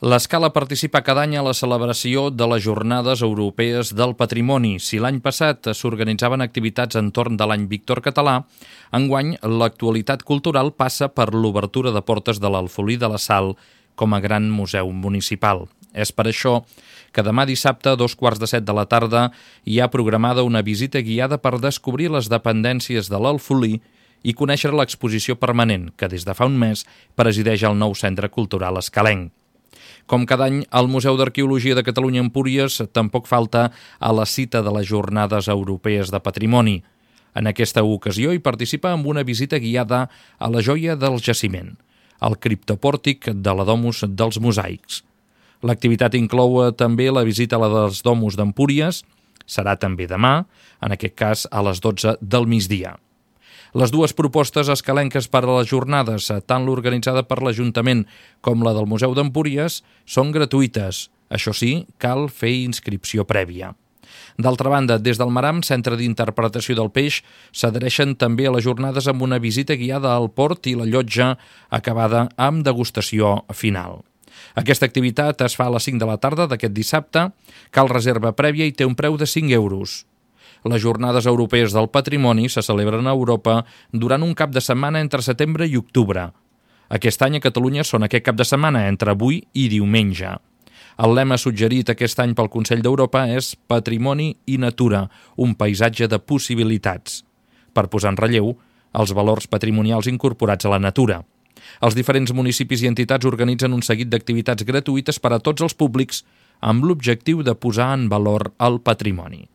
L'Escala participa cada any a la celebració de les Jornades Europees del Patrimoni. Si l'any passat s'organitzaven activitats entorn de l'any Víctor Català, enguany l'actualitat cultural passa per l'obertura de portes de l'Alfolí de la Sal com a gran museu municipal. És per això que demà dissabte, a 14:15 de la tarda, hi ha programada una visita guiada per descobrir les dependències de l'Alfolí i conèixer l'exposició permanent que des de fa un mes presideix el nou Centre Cultural Escalenc. Com cada any, el Museu d'Arqueologia de Catalunya Empúries tampoc falta a la cita de les Jornades Europees de Patrimoni. En aquesta ocasió hi participa amb una visita guiada a la joia del jaciment, el criptopòrtic de la Domus dels Mosaics. L'activitat inclou també la visita a la dels Domus d'Empúries, serà també demà, en aquest cas a les 12 del migdia. Les dues propostes escalenques per a les jornades, tant l'organitzada per l'Ajuntament com la del Museu d'Empúries, són gratuïtes. Això sí, cal fer inscripció prèvia. D'altra banda, des del Maram, Centre d'Interpretació del Peix, s'adhereixen també a les jornades amb una visita guiada al port i la llotja acabada amb degustació final. Aquesta activitat es fa a les 5 de la tarda d'aquest dissabte, cal reserva prèvia i té un preu de 5 euros. Les Jornades Europees del Patrimoni se celebren a Europa durant un cap de setmana entre setembre i octubre. Aquest any a Catalunya són aquest cap de setmana entre avui i diumenge. El lema suggerit aquest any pel Consell d'Europa és Patrimoni i Natura, un paisatge de possibilitats, per posar en relleu els valors patrimonials incorporats a la natura. Els diferents municipis i entitats organitzen un seguit d'activitats gratuïtes per a tots els públics amb l'objectiu de posar en valor el patrimoni.